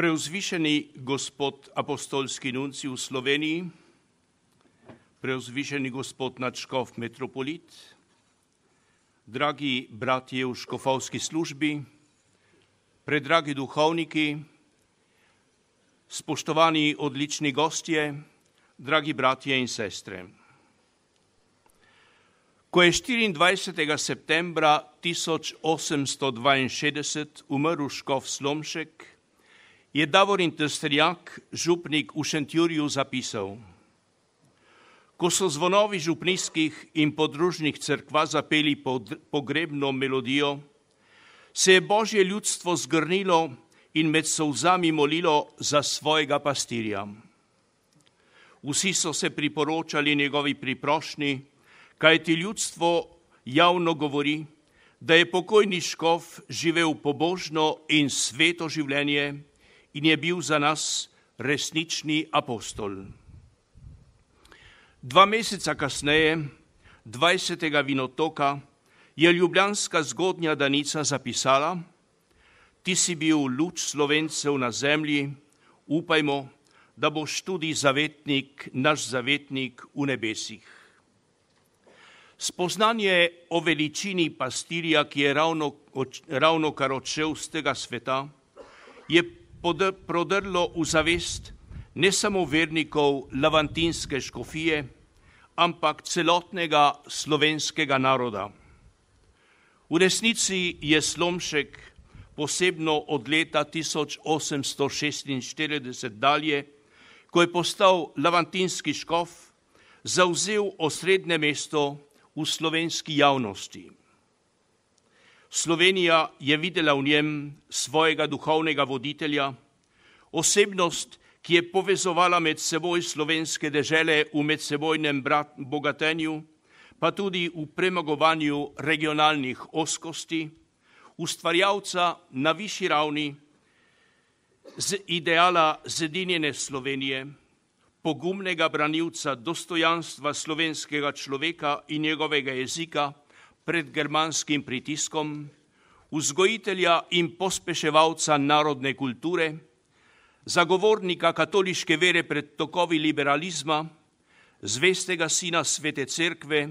Preuzvišeni gospod apostolski nuncij v Sloveniji, preuzvišeni gospod nadškof metropolit, dragi bratje v škofovski službi, predragi duhovniki, spoštovani odlični gostje, dragi bratje in sestre. Ko je 24. septembra 1862 umrl škof Slomšek, je Davorin Trstenjak, župnik v Šentjurju, zapisal: Ko so zvonovi župnijskih in podružnih cerkva zapeli pogrebno melodijo, se je Božje ljudstvo zgrnilo in med solzami molilo za svojega pastirja. Vsi so se priporočali njegovi priprošnji, kajti ljudstvo javno govori, da je pokojni škof živel pobožno in sveto življenje in je bil za nas resnični apostol. 2 meseca kasneje, 20. vinotoka, je ljubljanska zgodnja Danica zapisala: Ti si bil luč Slovencev na zemlji, upajmo, da boš tudi zavetnik, naš zavetnik v nebesih. Spoznanje o veličini pastirja, ki je ravnokar odšel z tega sveta, je prodrlo v zavest ne samo vernikov lavantinske škofije, ampak celotnega slovenskega naroda. V resnici je Slomšek, posebno od leta 1846 dalje, ko je postal lavantinski škof, zavzel osrednje mesto v slovenski javnosti. Slovenija je videla v njem svojega duhovnega voditelja, osebnost, ki je povezovala med seboj slovenske dežele v medsebojnem bogatenju, pa tudi v premagovanju regionalnih ozkosti, ustvarjalca na višji ravni z ideala zedinjene Slovenije, pogumnega branilca dostojanstva slovenskega človeka in njegovega jezika pred germanskim pritiskom, vzgojitelja in pospeševalca narodne kulture, zagovornika katoliške vere pred tokovi liberalizma, zvestega sina Svete Cerkve,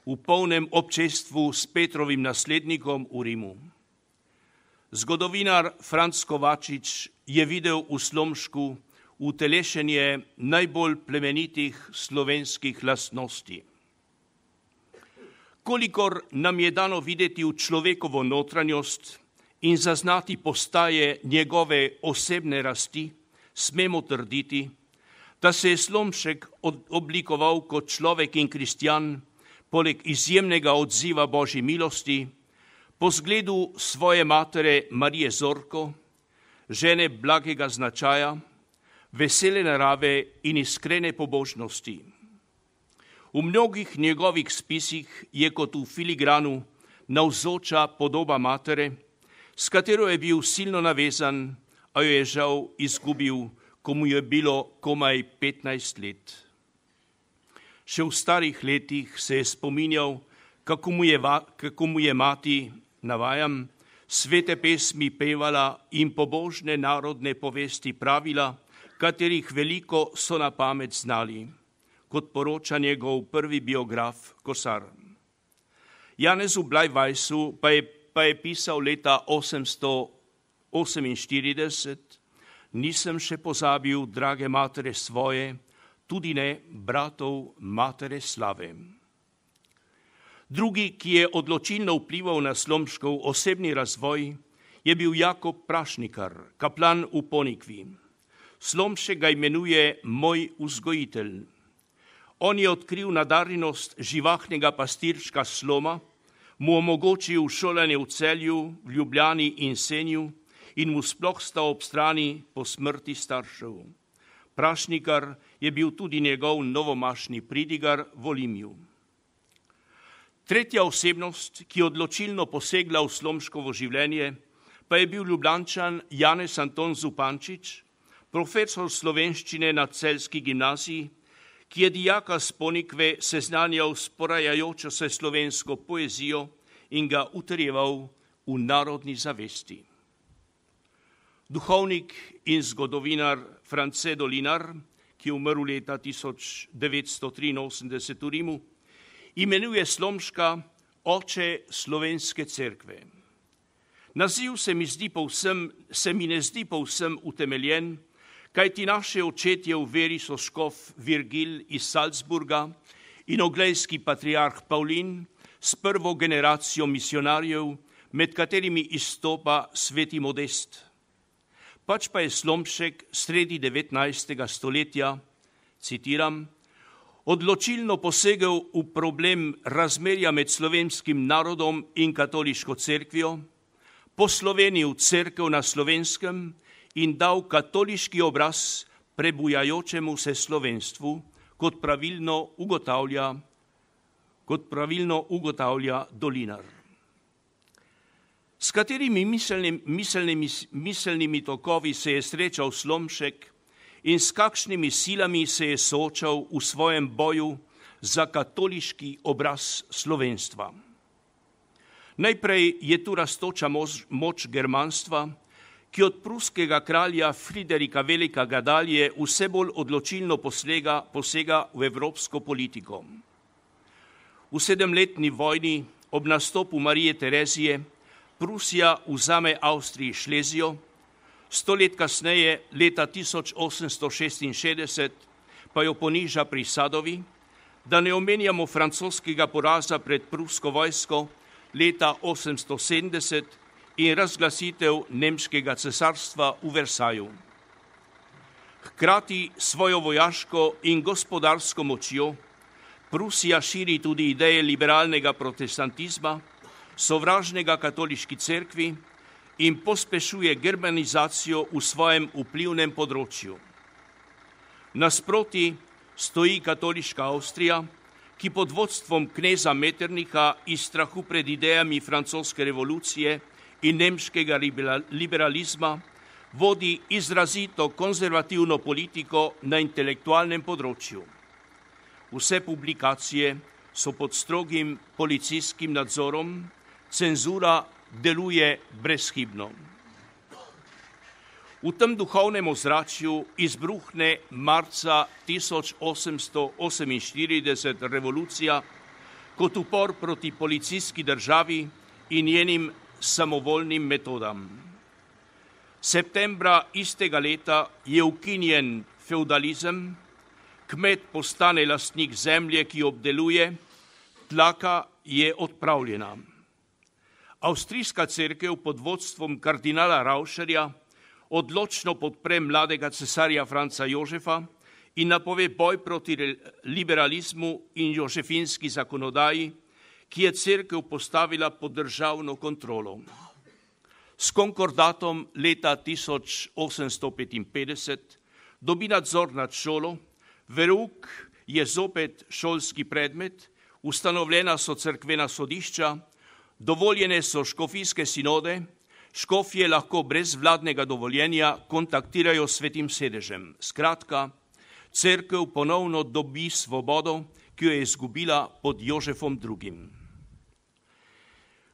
v polnem občestvu s Petrovim naslednikom v Rimu. Zgodovinar Franc Kovačič je videl v Slomšku utelešenje najbolj plemenitih slovenskih lastnosti. Kolikor nam je dano videti v človekovo notranjost in zaznati postaje njegove osebne rasti, smemo trditi, da se je Slomšek oblikoval kot človek in kristjan, poleg izjemnega odziva Božji milosti, po zgledu svoje matere Marije Zorko, žene blagega značaja, vesele narave in iskrene pobožnosti. V mnogih njegovih spisih je kot v filigranu navzoča podoba matere, s katero je bil silno navezan, a jo je žal izgubil, ko mu je bilo komaj 15 let. Še v starih letih se je spominjal, kako mu je mati, navajam, svete pesmi pevala in pobožne narodne povesti pravila, katerih veliko so na pamet znali, kot poroča njegov prvi biograf Kosar. Janezu Blajvajsu pa je pisal leta 848: Nisem še pozabil drage matere svoje, tudi ne bratov matere Slave. Drugi, ki je odločilno vplival na Slomškov osebni razvoj, je bil Jakob Prašnikar, kaplan v Ponikvi. Slomšek ga imenuje moj vzgojitelj. On je odkril nadarjenost živahnega pastirčka Sloma, mu omogočil šolanje v Celju, v Ljubljani in Senju in mu sploh stal ob strani po smrti staršev. Prašnikar je bil tudi njegov novomašni pridigar v Olimju. Tretja osebnost, ki je odločilno posegla v Slomškovo življenje, pa je bil Ljubljančan Janez Anton Zupančič, profesor slovenščine na celjski gimnaziji, ki je dijaka s Ponikve seznanjal s porajajočo se slovensko poezijo in ga utrjeval v narodni zavesti. Duhovnik in zgodovinar France Dolinar, ki je umrl leta 1983 v Rimu, imenuje Slomška oče slovenske cerkve. Naziv se mi ne zdi povsem utemeljen, kajti naše očetje v veri so škof Virgil iz Salzburga in oglejski patriarh Pavlin s prvo generacijo misionarjev, med katerimi izstopa sveti Modest. Pač pa je Slomšek sredi 19. stoletja, citiram, odločilno posegel v problem razmerja med slovenskim narodom in katoliško cerkvijo, poslovenil cerkev na Slovenskem in dal katoliški obraz prebujajočemu se slovenstvu, kot pravilno ugotavlja Dolinar. S katerimi miselnimi tokovi se je srečal Slomšek in s kakšnimi silami se je soočal v svojem boju za katoliški obraz slovenstva. Najprej je tu rastoča moč germanstva, ki od pruskega kralja Friderika Velikega dalje vse bolj odločilno posega v evropsko politiko. V 7-letni vojni ob nastopu Marije Terezije Prusija vzame Avstriji Šlezijo, 100 let kasneje, leta 1866, pa jo poniža pri Sadovi, da ne omenjamo francoskega poraza pred prusko vojsko leta 870 in razglasitev nemškega cesarstva v Versaju. Hkrati svojo vojaško in gospodarsko močjo Prusija širi tudi ideje liberalnega protestantizma, sovražnega katoliški cerkvi in pospešuje germanizacijo v svojem vplivnem področju. Nasproti stoji katoliška Avstrija, ki pod vodstvom kneza Metternicha iz strahu pred idejami francoske revolucije in nemškega liberalizma vodi izrazito konzervativno politiko na intelektualnem področju. Vse publikacije so pod strogim policijskim nadzorom, cenzura deluje brezhibno. V tem duhovnem ozračju izbruhne marca 1848 revolucija kot upor proti policijski državi in njenim samovoljnim metodam. Septembra istega leta je ukinjen feudalizem, kmet postane lastnik zemlje, ki obdeluje, tlaka je odpravljena. Avstrijska cerkev pod vodstvom kardinala Rauscherja odločno podpre mladega cesarja Franca Jožefa in napove boj proti liberalizmu in jožefinski zakonodaji, ki je cerkev postavila pod državno kontrolo. S konkordatom leta 1855 dobi nadzor nad šolo, verouk je zopet šolski predmet, ustanovljena so cerkvena sodišča, dovoljene so škofijske sinode, škofje lahko brez vladnega dovoljenja kontaktirajo s svetim sedežem. Skratka, cerkev ponovno dobi svobodo, ki jo je izgubila pod Jožefom II.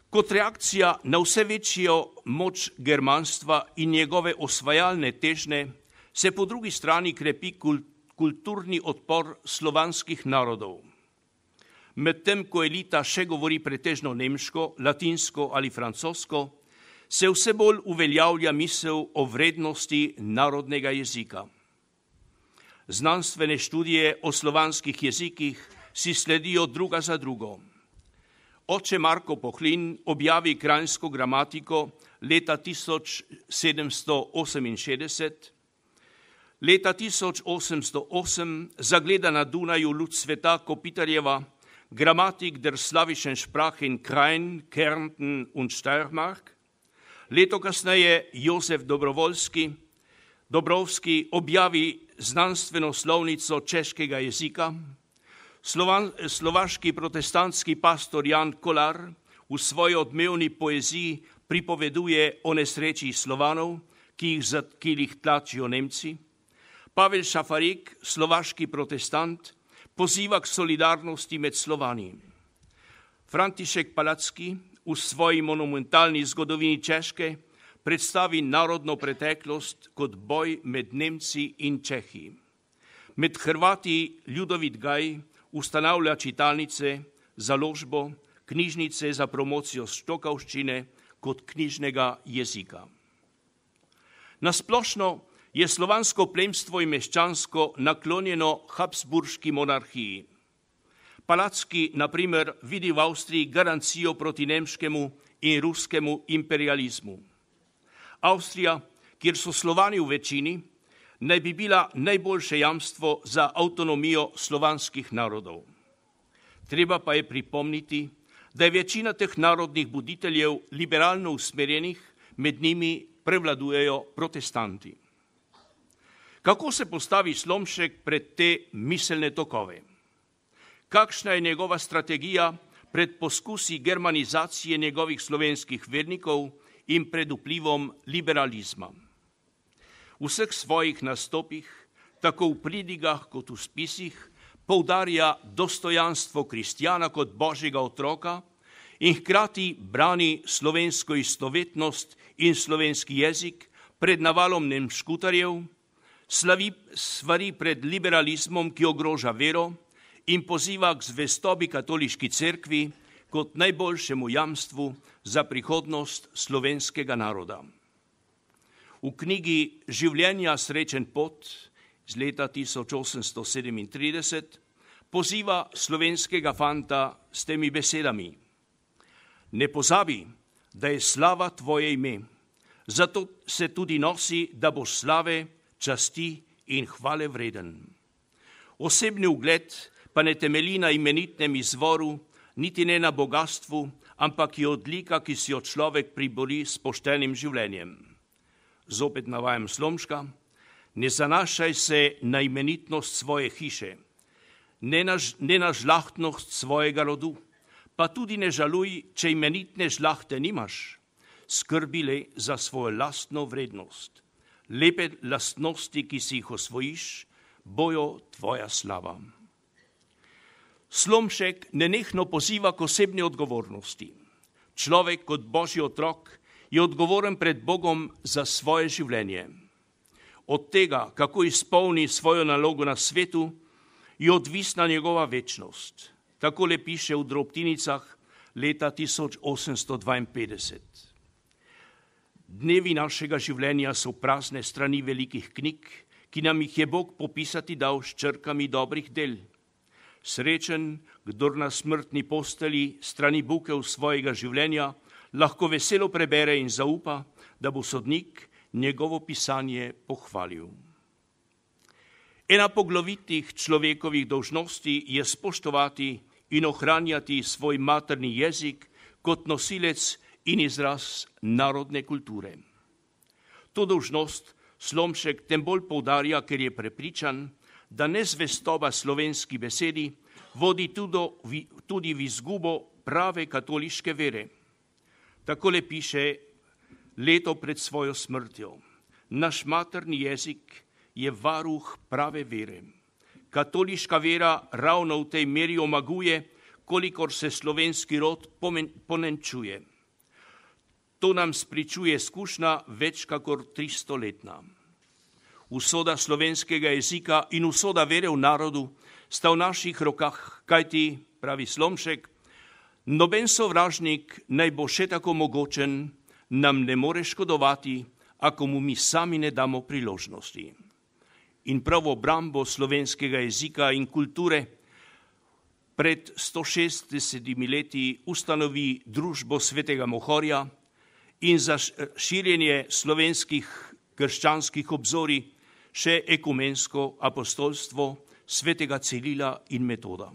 Kot reakcija na vse večjo moč germanstva in njegove osvajalne težnje se po drugi strani krepi kulturni odpor slovanskih narodov. Medtem ko elita še govori pretežno nemško, latinsko ali francosko, se vse bolj uveljavlja misel o vrednosti narodnega jezika. Znanstvene študije o slovanskih jezikih si sledijo druga za drugo. Oče Marko Pohlin objavi Kranjsko gramatiko leta 1768, leta 1808 zagleda na Dunaju luč sveta Kopitarjeva Grammatik der slawischen Sprachen Krain, Kärnten und Steiermark. Leto kasneje Josef Dobrovski objavi znanstveno slovnico češkega jezika. Slovaški protestantski pastor Jan Kolar v svoji odmevni poeziji pripoveduje o nesreči Slovanov, ki jih tlačijo Nemci. Pavel Šafarik, slovaški protestant, poziva k solidarnosti med Slovani. František Palacký v svoji monumentalni zgodovini Češke predstavi narodno preteklost kot boj med Nemci in Čehi. Med Hrvati Ljudovit Gaj ustanavlja čitalnice, založbo, knjižnice za promocijo štokavščine kot knjižnega jezika. Nasplošno je slovansko plemstvo in meščansko naklonjeno Habsburški monarhiji. Palacki, na primer, vidi v Avstriji garancijo proti nemškemu in ruskemu imperializmu. Avstrija, kjer so Slovani v večini, naj bi bila najboljše jamstvo za avtonomijo slovanskih narodov. Treba pa je pripomniti, da je večina teh narodnih buditeljev liberalno usmerjenih, med njimi prevladujejo protestanti. Kako se postavi Slomšek pred te miselne tokove? Kakšna je njegova strategija pred poskusi germanizacije njegovih slovenskih vernikov in pred vplivom liberalizma? V vseh svojih nastopih, tako v pridigah kot v spisih, poudarja dostojanstvo kristjana kot božjega otroka in hkrati brani slovensko istovetnost in slovenski jezik pred navalom nemškutarjev, svari pred liberalizmom, ki ogroža vero, in poziva k zvestobi katoliški cerkvi kot najboljšemu jamstvu za prihodnost slovenskega naroda. V knjigi Življenja srečen pot iz leta 1837 poziva slovenskega fanta s temi besedami: Ne pozabi, da je slava tvoje ime, zato se tudi nosi, da boš slave, časti in hvale vreden. Osebni ugled pa ne temelji na imenitnem izvoru, niti ne na bogatstvu, ampak je odlika, ki si jo človek pribori s poštenim življenjem. Zopet navajam Slomška: Ne zanašaj se na imenitnost svoje hiše, ne na žlahtnost svojega rodu, pa tudi ne žaluj, če imenitne žlahte nimaš, skrbi le za svojo lastno vrednost. Lepe lastnosti, ki si jih osvojiš, bojo tvoja slava. Slomšek nenehno poziva k osebni odgovornosti. Človek kot božji otrok je odgovoren pred Bogom za svoje življenje. Od tega, kako izpolni svojo nalogo na svetu, je odvisna njegova večnost. Takole piše v drobtinicah leta 1852. Dnevi našega življenja so prazne strani velikih knjig, ki nam jih je Bog popisati dal s črkami dobrih del. Srečen, kdor na smrtni posteli strani bukev svojega življenja lahko veselo prebere in zaupa, da bo sodnik njegovo pisanje pohvalil. Ena poglavitih človekovih dolžnosti je spoštovati in ohranjati svoj materni jezik kot nosilec in izraz narodne kulture. To dolžnost Slomšek tem bolj poudarja, ker je prepričan, da nezvestoba slovenski besedi vodi tudi v izgubo prave katoliške vere. Takole piše leto pred svojo smrtjo: Naš materni jezik je varuh prave vere. Katoliška vera ravno v tej meri omaguje, kolikor se slovenski rod ponenčuje. To nam spričuje izkušnja več kakor 300-letna. Usoda slovenskega jezika in usoda vere v narodu sta v naših rokah, kajti, pravi Slomšek, noben sovražnik naj bo še tako mogočen, nam ne more škodovati, ako mu mi sami ne damo priložnosti. In prav obrambo slovenskega jezika in kulture pred 160 leti ustanovi družbo svetega Mohorja in za širjenje slovenskih krščanskih obzorij še ekumensko apostolstvo svetega Cirila in Metoda.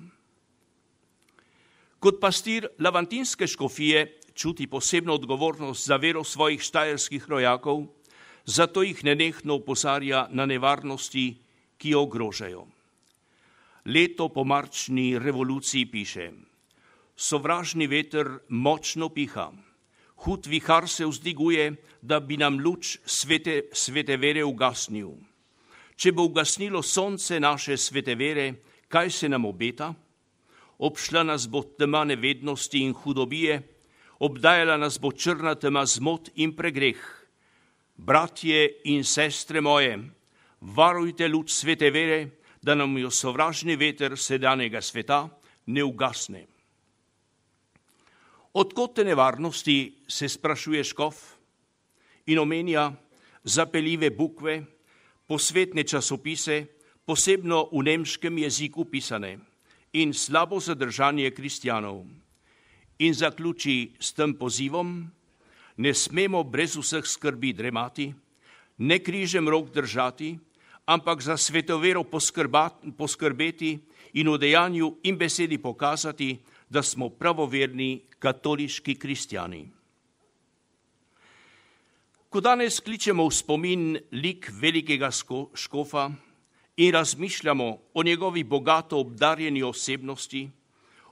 Kot pastir lavantinske škofije čuti posebno odgovornost za vero svojih štajerskih rojakov, zato jih nenehno opozarja na nevarnosti, ki jo ogrožajo. Leto po marčni revoluciji piše: Sovražni veter močno piha, hud vihar se vzdiguje, da bi nam luč svete vere ugasnil. Če bo ugasnilo sonce naše svete vere, kaj se nam obeta? Obšla nas bo tema nevednosti in hudobije, obdajala nas bo črna tema zmot in pregreh, Bratje in sestre moje, varujte luč svete vere, da nam jo sovražni veter sedanjega sveta ne ugasne. Odkot te nevarnosti, se sprašuje škof in omenja zapeljive bukve, posvetne časopise, posebno v nemškem jeziku pisane, in slabo zadržanje kristjanov. In zaključi s tem pozivom: ne smemo brez vseh skrbi dremati, ne križem rok držati, ampak za svetovero poskrbeti in v dejanju in besedi pokazati, da smo pravoverni katoliški kristjani. Ko danes kličemo v spomin lik velikega škofa in razmišljamo o njegovi bogato obdarjeni osebnosti,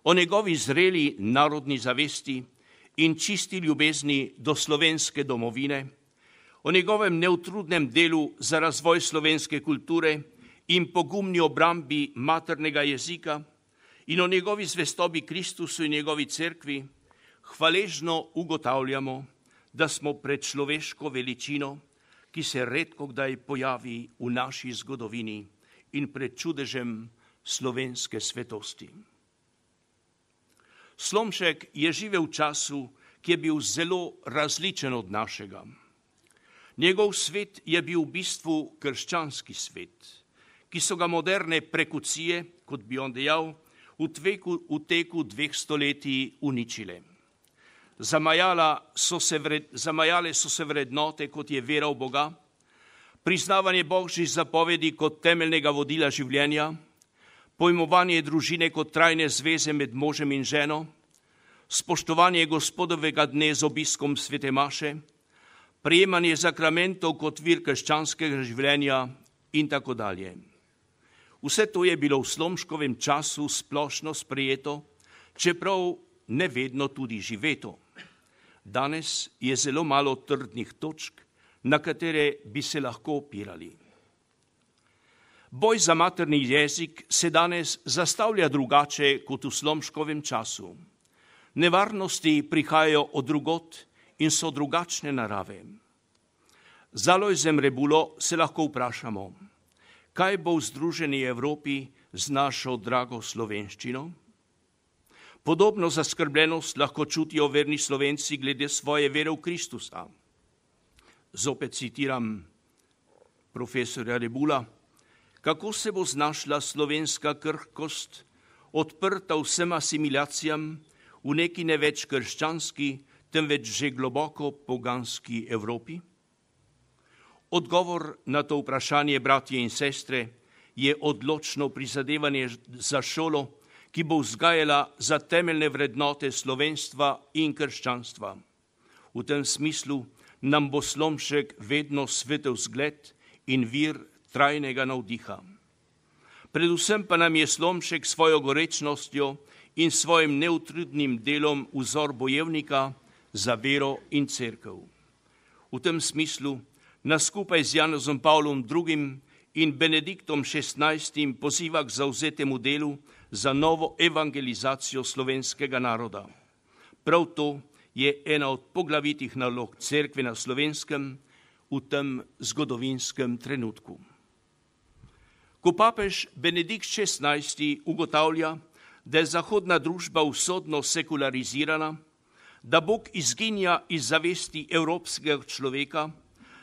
o njegovi zreli narodni zavesti in čisti ljubezni do slovenske domovine, o njegovem neutrudnem delu za razvoj slovenske kulture in pogumni obrambi maternega jezika in o njegovi zvestobi Kristusu in njegovi cerkvi, hvaležno ugotavljamo, da smo pred človeško veličino, ki se redko kdaj pojavi v naši zgodovini, in pred čudežem slovenske svetosti. Slomšek je živel v času, ki je bil zelo različen od našega. Njegov svet je bil v bistvu krščanski svet, ki so ga moderne prekucije, kot bi on dejal, v teku 2 stoletij uničile. Zamajale so se vrednote, kot je vera v Boga, priznavanje božjih zapovedi kot temeljnega vodila življenja, pojmovanje družine kot trajne zveze med možem in ženo, spoštovanje Gospodovega dne z obiskom svete maše, prejemanje sakramentov kot vir krščanskega življenja in tako dalje. Vse to je bilo v Slomškovem času splošno sprejeto, čeprav ne vedno tudi živeto. Danes je zelo malo trdnih točk, na katere bi se lahko opirali. Boj za materni jezik se danes zastavlja drugače kot v Slomškovem času. Nevarnosti prihajajo od drugot in so drugačne narave. Z Alojzem Rebulo se lahko vprašamo, kaj bo v združeni Evropi z našo drago slovenščino? Podobno zaskrbljenost lahko čutijo verni Slovenci glede svoje vere v Kristusa. Zopet citiram profesorja Rebula: kako se bo znašla slovenska krhkost, odprta vsem asimilacijam v neki ne več krščanski, temveč že globoko poganski Evropi? Odgovor na to vprašanje, bratje in sestre, je odločno prizadevanje za šolo, ki bo vzgajala za temeljne vrednote slovenstva in krščanstva. V tem smislu nam bo Slomšek vedno svetel zgled in vir trajnega navdiha. Predvsem pa nam je Slomšek svojo gorečnostjo in svojim neutrudnim delom vzor bojevnika za vero in cerkev. V tem smislu nas skupaj z Janezom Pavlom II. In Benediktom XVI. Poziva k zavzetemu delu za novo evangelizacijo slovenskega naroda. Prav to je ena od poglavitih nalog cerkve na Slovenskem v tem zgodovinskem trenutku. Ko papež Benedikt XVI. Ugotavlja, da je zahodna družba usodno sekularizirana, da Bog izginja iz zavesti evropskega človeka,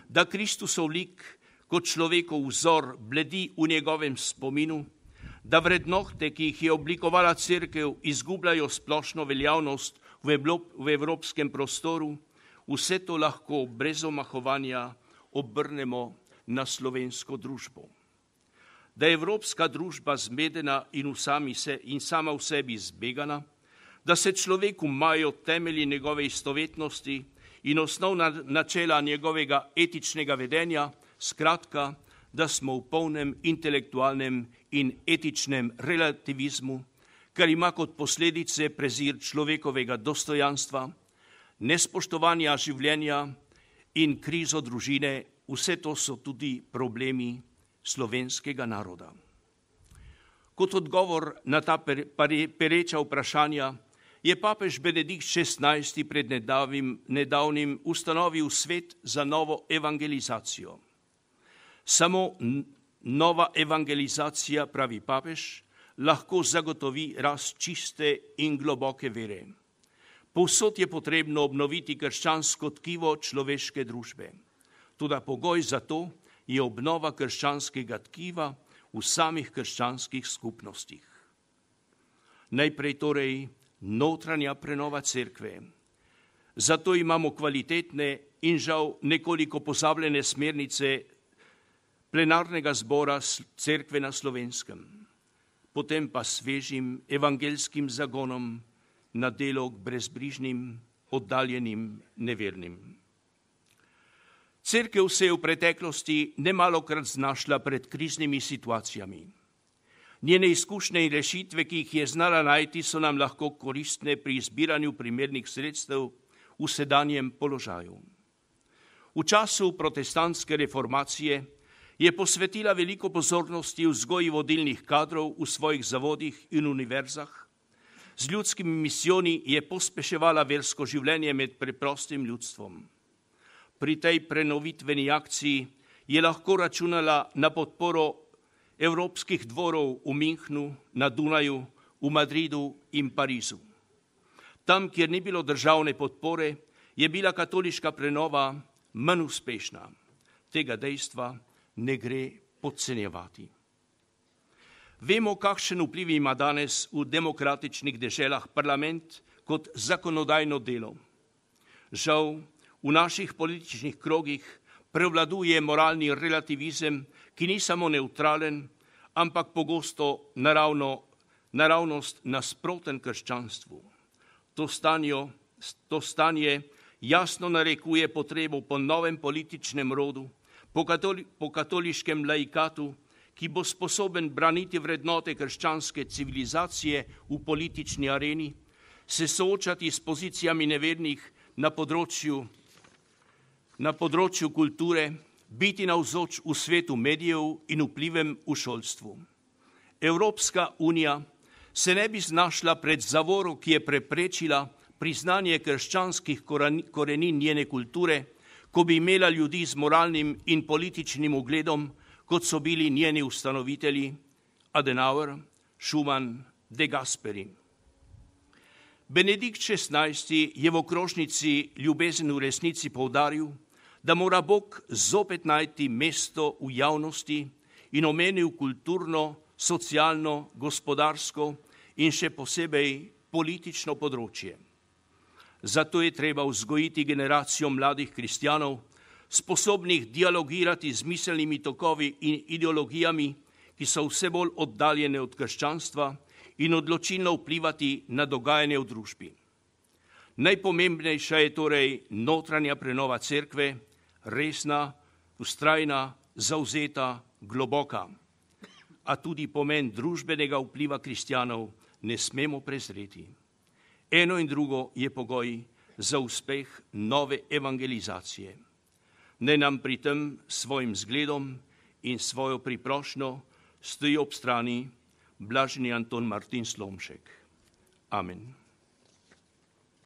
da Kristusov lik kot človekov vzor bledi v njegovem spominu, da vrednote, ki jih je oblikovala cerkev, izgubljajo splošno veljavnost v evropskem prostoru, vse to lahko brez omahovanja obrnemo na slovensko družbo. Da je evropska družba zmedena in sama v sebi zbegana, da se človeku majo temelji njegove istovetnosti in osnovna načela njegovega etičnega vedenja, skratka, da smo v polnem intelektualnem in etičnem relativizmu, kar ima kot posledice prezir človekovega dostojanstva, nespoštovanja življenja in krizo družine, vse to so tudi problemi slovenskega naroda. Kot odgovor na ta pereča vprašanja je papež Benedikt XVI. Pred nedavnim ustanovil svet za novo evangelizacijo. Samo nova evangelizacija, pravi papež, lahko zagotovi rast čiste in globoke vere. Povsod je potrebno obnoviti krščansko tkivo človeške družbe. Toda pogoj za to je obnova krščanskega tkiva v samih krščanskih skupnostih. Najprej torej notranja prenova cerkve. Zato imamo kvalitetne in žal nekoliko pozabljene smernice plenarnega zbora cerkve na Slovenskem, potem pa svežim evangeljskim zagonom na delo k brezbrižnim, oddaljenim, nevernim. Cerkev se je v preteklosti nemalokrat znašla pred kriznimi situacijami. Njene izkušnje in rešitve, ki jih je znala najti, so nam lahko koristne pri izbiranju primernih sredstev v sedanjem položaju. V času protestantske reformacije je posvetila veliko pozornosti vzgoji vodilnih kadrov v svojih zavodih in univerzah. Z ljudskimi misijoni je pospeševala versko življenje med preprostim ljudstvom. Pri tej prenovitveni akciji je lahko računala na podporo evropskih dvorov v Münchnu, na Dunaju, v Madridu in Parizu. Tam, kjer ni bilo državne podpore, je bila katoliška prenova manj uspešna. Tega dejstva ne gre podcenjevati. Vemo, kakšen vpliv ima danes v demokratičnih deželah parlament kot zakonodajno delo. Žal, v naših političnih krogih prevladuje moralni relativizem, ki ni samo nevtralen, ampak pogosto naravnost nasproten krščanstvu. To stanje jasno narekuje potrebo po novem političnem rodu, po katoliškem laikatu, ki bo sposoben braniti vrednote krščanske civilizacije v politični areni, se soočati s pozicijami nevernih na področju kulture, biti navzoč v svetu medijev in vplivem v šolstvu. Evropska unija se ne bi znašla pred zavoro, ki je preprečila priznanje krščanskih korenin njene kulture, ko bi imela ljudi z moralnim in političnim ugledom, kot so bili njeni ustanovitelji Adenauer, Schumann, De Gasperi. Benedikt XVI. Je v okrožnici Ljubezen v resnici poudaril, da mora Bog zopet najti mesto v javnosti in omenil kulturno, socialno, gospodarsko in še posebej politično področje. Zato je treba vzgojiti generacijo mladih kristjanov, sposobnih dialogirati z miselnimi tokovi in ideologijami, ki so vse bolj oddaljene od krščanstva in odločilno vplivati na dogajanje v družbi. Najpomembnejša je torej notranja prenova cerkve, resna, vztrajna, zavzeta, globoka. A tudi pomen družbenega vpliva kristjanov ne smemo prezreti. Eno in drugo je pogoj za uspeh nove evangelizacije. Naj nam pri tem svojim zgledom in svojo priprošnjo stoji ob strani blaženi Anton Martin Slomšek. Amen.